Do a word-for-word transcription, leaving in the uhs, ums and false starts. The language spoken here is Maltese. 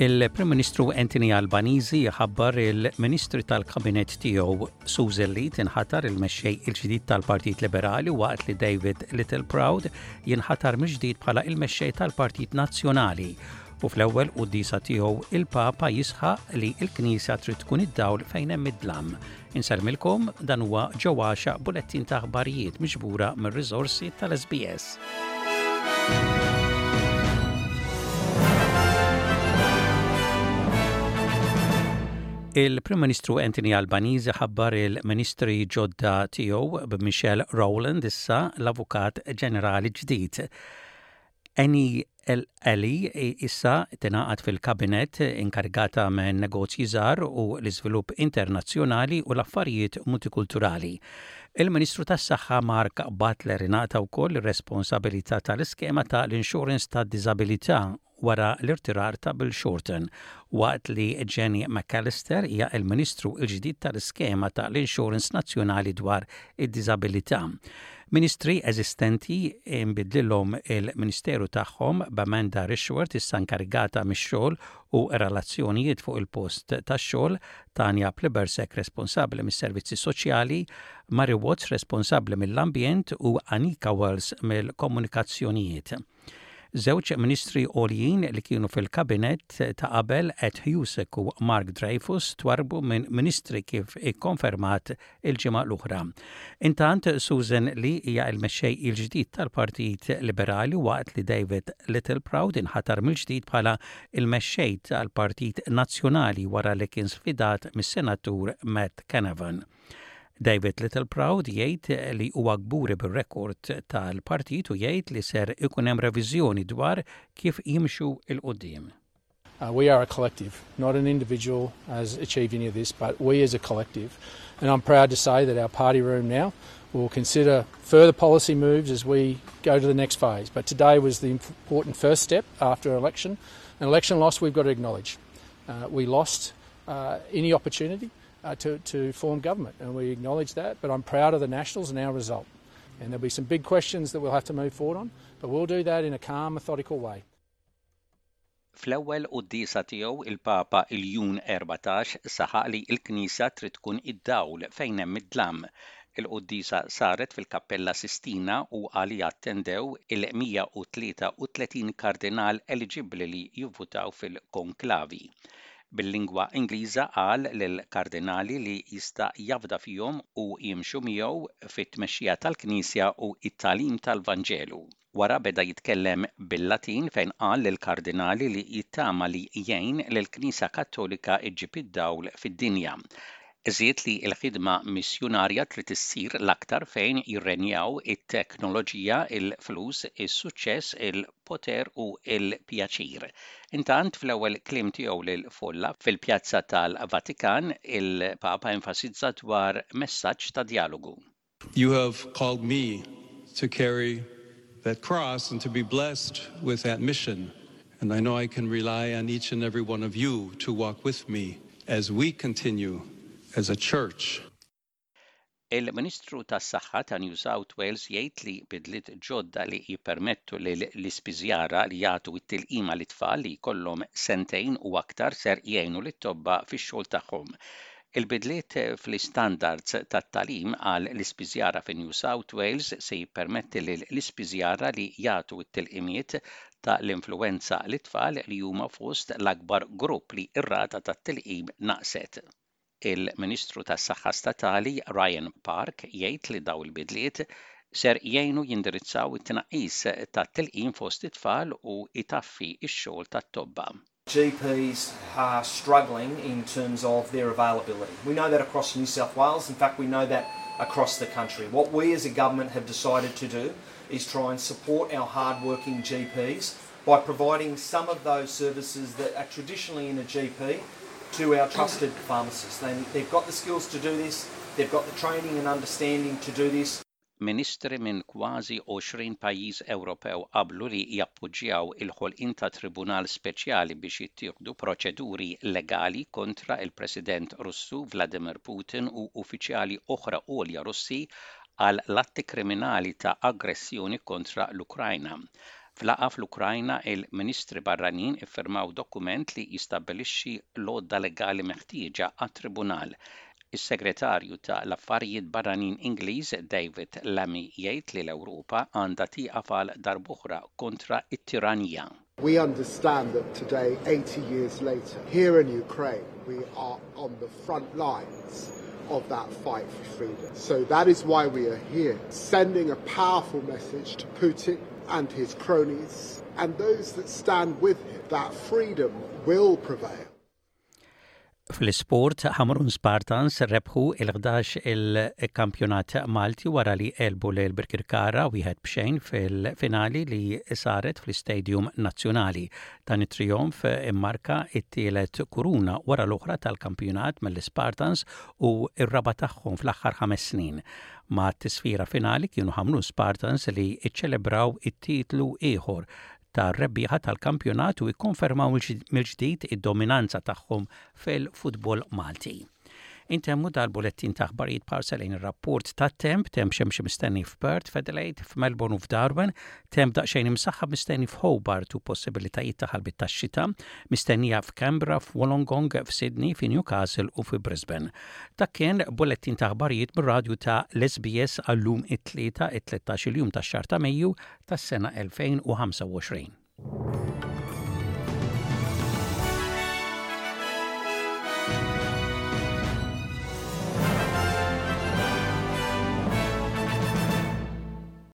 Il-Prim Ministru Anthony Albanese ħabbar il-Ministri tal-Kabinett tiegħu. Susan Lee tinħatar il-mexxej il-ġdid tal-Partit Liberali, waqt li David Littleproud jinħatar mill-ġdid bħala il-mexxej tal-Partit Nazzjonali. U fl-ewwel quddiesa tiegħu, il-Papa jisħaq li l-Knisja trid tkun id-dawl fejn hemm id-dlam. Insellmilkom, dan huwa ġewwaxa bulettin ta' aħbarijiet miġbura mir-riżorsi tal-S B S. Il-Prim Ministru Anthony Albanese ħabbar il-Ministri ġodda tiegħu, b'Michelle Rowland issa l-Avukat Ġenerali ġdid. Annie Eli issa tingħaqad fil-kabinet, inkarigata minn negozji żgħar u l-iżvilupp internazzjonali u l-affarijiet multikulturali. Il-Ministru tas-Saħħa Mark Butler ingħata wkoll ir-responsabilità tal-iskema tal-insurance tad-diżabilità wara l-irtirar ta' Bill Shorten, waqt li Jenny McAllister hija il-Ministru il-ġdid tal-iskema tal-Insurance Nazzjonali dwar id-diżabilità. Ministri eżistenti imbidlilhom il-Ministeru tagħhom, b'Amanda Rishworth issa inkarigata mix-xogħol u relazzjonijiet fuq il-post tax-xogħol, Tanya Plibersek responsabbli mis-servizzi soċjali, Mary Watts responsabbli mill-ambjent u Anika Wells mill-komunikazzjonijiet. Żewġ ministri għoljin li kienu fil-kabinet ta' qabel, Ed Husic u Mark Dreyfus, twarbu minn ministri, kif ikkonfermat il-ġimgħa l-oħra. Intant, Susan Lee hija l-mexxej il-ġdid tal-Partit Liberali, waqt li David Littleproud inħatar mill-ġdid bħala il-mexxej tal-Partit Nazzjonali wara li kien sfidat mis-Senatur Matt Canavan. David Littleproud jgħid li huwa kburi bir-rekord tal-partit u jgħid li ser ikun hemm reviżjoni dwar kif jimxu 'l quddiem. Uh, we are a collective, not an individual has achieved any of this, but we as a collective. And I'm proud to say that our party room now will consider further policy moves as we go to the next phase. But today was the important first step after election. An election loss we've got to acknowledge. Uh, we lost uh, any opportunity uh, to, to form government, and we acknowledge that. But I'm proud of the Nationals and our result. And there'll be some big questions that we'll have to move forward on, but we'll do that in a calm, methodical way. Fl-ewwel quddiesa tiegħu, il-Papa Iljun Erbatax saħaq li l-Knisja trid tkun id-dawl fejn hemm id-dlam. Il-quddiesa saret fil-Kappella Sistina u għaliha attendew il-mija u tlieta u tletin kardinal eliġibbli li jivvutaw fil-konklavi. Bil-lingwa Ingliża qal lill-kardinali li jista' jafda fihom u jimxu miegħu fit-tmexxija tal-Knisja u it-tagħlim tal-Vanġelu. Wara beda jitkellem bil-Latin, fejn qal lill-kardinali li jittama li jgħin lill-Knisja Kattolika iġġib id-dawl fid-dinja. Żied li l-ħidma missjunarja trid issir l-aktar fejn jirrenjaw it-teknoloġija, il-flus, is-suċċess, il-poter u il-pjaċir. Intant, fl-ewwel kliem tiegħu lil folla fil-pjazza tal-Vatikan, il-Papa enfasizza dwar messaġġ ta' dialogu. You have called me to carry that cross and to be blessed with that mission. And I know I can rely on each and every one of you to walk with me as we continue as a church. Il-Ministru tas-Saħħa ta' New South Wales jgħid li bidliet ġodda li jippermettu li l-ispiżjara li jagħtu t-tilqima lit-tfal li jkollhom sentejn u aktar ser jgħinu lit-tobba fix-xogħol tagħhom. Il-bidliet fl-istandards tat-tagħlim għal l-ispiżjara fi New South Wales se jippermetti li l-ispiżjara li jagħtu t-tilqimiet ta' l-influenza lit-tfal, li huma fost l-akbar grupp li r-rata tat-tilqim naqset. Il-Ministru tas-Saħħa Statali Ryan Park jgħid li daw il-bidliet ser jgħinu jindirizzaw it-tnaqqis tat-tilqim fost it-tfal u itaffi x-xogħol tat-tobba. G Ps are struggling in terms of their availability. We know that across New South Wales. In fact, we know that across the country. What we as a government have decided to do is try and support our hard-working G Ps by providing some of those services that are traditionally in a G P to our trusted pharmacists. They, they've got the skills to do this, they've got the training and understanding to do this. Ministri minn kważi għoxrin pajjiż Ewropew qablu li jappoġġjaw il-ħolqien ta' tribunal speċjali biex jittieħdu proċeduri legali kontra il-President Russu Vladimir Putin u uffiċjali oħra għolja Russi għal l-atti kriminali ta' aggressjoni kontra l-Ukrajna. F'laqgħa fl-Ukrajna, il-Ministri barranin iffirmaw dokument li jistabbilixxi l-għodda legali meħtieġa għat-tribunal. Is-Segretarju ta' l-Affarijiet Barranin Ingliż David Lammy jgħid li l-Ewropa għandha tieqaf għal darb'oħra kontra it-tiranija. We understand that today, eighty years later, here in Ukraine, we are on the front lines of that fight for freedom. So that is why we are here, sending a powerful message to Putin and his cronies and those that stand with him that freedom will prevail. Fl-isport, Ħamrun Spartans rebħu il-ħdax il-kampjonat Malti wara li għelbu lil Birkirkara wieħed b'xejn fil-finali li saret fl-Istadium Nazzjonali. Dan it-trionf immarka it-tielet kuruna wara l-oħra tal-kampjonat mill-Spartans u r-raba' tagħhom fl-aħħar ħames snin. Mat-tisfira finali kienu Ħamrun Spartans li iċċelebraw it-titlu ieħor ta' rebbieħa tal-kampjonat u jikkonfermaw mill-ġdid id-dominanza tagħhom fil-futbol Malti. Intemmu dal-bulettin ta' aħbarijiet b'ħarsa lejn ir-rapport ta' temp, temp xemxi mistenni f'Perth, f'Adelaide, f'Melbourne u f'Darwin, temp daqsxejn imsaħħab mistenni f'Hobart u possibilitajiet ta' ħalbit ta' xita, mistennija f'Canberra, f'Wollongong, f'Sydney, f'Newcastle u f'Brisbane. Dak kien bulettin ta' aħbarijiet mir-radju ta' l-S B S għal-lum it-Tlieta, it-tlettax-il jum tax-xahar ta' Mejju tas-sena elfejn u ħamsa u għoxrin.